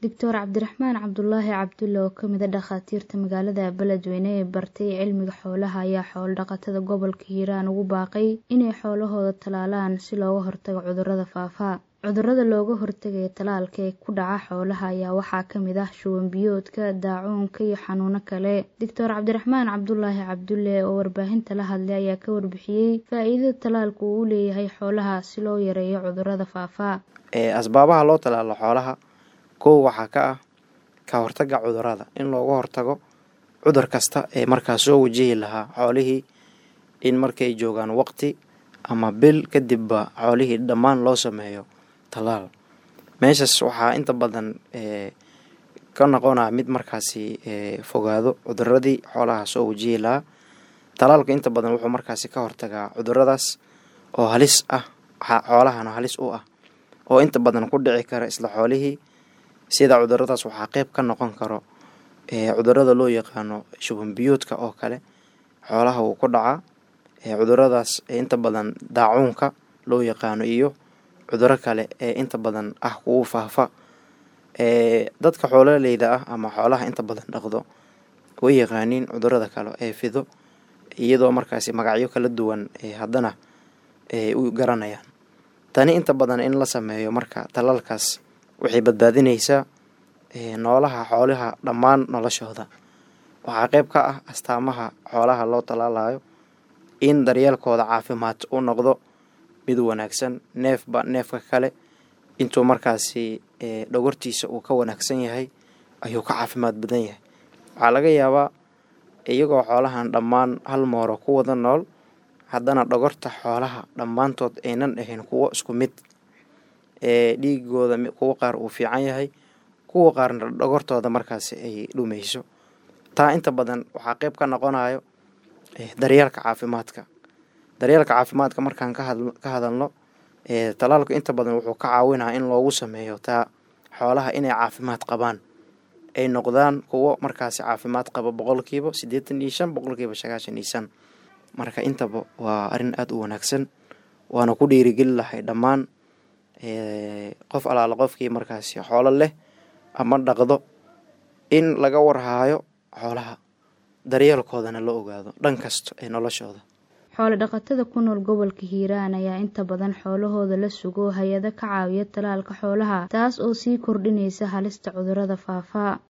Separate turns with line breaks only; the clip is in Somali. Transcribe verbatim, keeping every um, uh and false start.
Doctor Cabdiraxmaan Cabdulaahi Cabdulle oo ka mid ah dhakhaatiirta magaalada Beledweyne ee bartay cilmiga xoolaha ayaa xoolo dhaqatada gobolka Hiiraan ugu baaqay inay xoolahooda tallaalaan si looga hortago cudurrada faafa. Cudurrada looga hortagayo tallaalka ee ku dhaca xoolaha ayaa waxaa ka mid ah shuban biyoodka, daacuunka iyo xanuuno kale. Doctor Cabdiraxmaan Cabdulaahi Cabdulle oo warbaahinta la hadlay ayaa ka warbixiyay faa'iidada tallaalku uu u leeyahay xoolaha si loo yareeyo cudurrada faafa.
Asbaabaha loo tallaalo xoolaha kow waxaa ka ah ka hortagga cudurrada, in looga hortago cudur kasta ee markaas soo wajihi lahaa xoolihii, in markay joogaan waqti ama bil kadibba xoolihii dhammaan loo sameeyo tallaal. Meeshaas waxaa inta badan ka noqonaya mid markaasi fogaado cuduradii xoolaha soo wajihi lahaa. Tallaalka inta badan wuxuu markaasi ka hortagaa cuduradaas oo halis ah, xoolahana halis u ah, oo inta badan ku dhici kara isla xoolihii. Sida cuduradaas waxaa qeyb ka noqon karo cudurada loo yaqaano shuban biyoodka oo kale, xoolaha wuu ku dhacaa. Cuduradaas inta badan daacuunka loo yaqaano iyo cuduro kale ee inta badan ah kuwo faafa. Dadka xoololeyda ah ama xoolaha inta badan dhaqdo way yaqaaniin cudurada kale ee fido, iyadoo markaasi magacyo kala duwan haddana u garanayaan. Tani inta badan in la sameeyo marka tallaalkaas waxay badbaadineysaa noolaha xoolaha dhammaan noloshooda. Waxaa qeyb ka ah astaamaha xoolaha loo tallaalayo in daryeelkooda caafimaad uu noqdo mid wanaagsan, neefba neefka kale intuu markaasi dhogortiisa uu ka wanaagsan yahay ayuu ka caafimaad badan yahay. Waxaa laga yaabaa iyagoo xoolahan dhammaan hal mooro ku wada nool, haddana dhogorta xoolaha dhammaantood aynan ahayn kuwo isku mid, dhiigooda kuwo qaar uu fiican yahay, kuwa qaarna dhogortooda markaasi ay dhumeyso. Taa inta badan waxaa qeyb ka noqonayo daryeelka caafimaadka. Daryeelka caafimaadka markaan ka hadalno, tallaalku inta badan wuxuu ka caawinaa in loogu sameeyo taa xoolaha inay caafimaad qabaan, ay noqdaan kuwo markaasi caafimaad qaba boqolkiiba siddeetan iyo shan, boqolkiiba sagaashan iyo shan. Marka intaba waa arrin aada u wanaagsan, waana ku dhiirigeli lahay dhammaan qof alaala qofkii markaasi xoolo leh ama dhaqdo in laga warhaayo xoolaha, daryeelkoodana la ogaado dhan kasta ee noloshooda.
Xoolo dhaqatada ku nool gobolka Hiiraan ayaa inta badan xoolahooda la sugo hay-ado ka caawiya tallaalka xoolaha, taas oo sii kordhinaysa halista cudurrada faafa.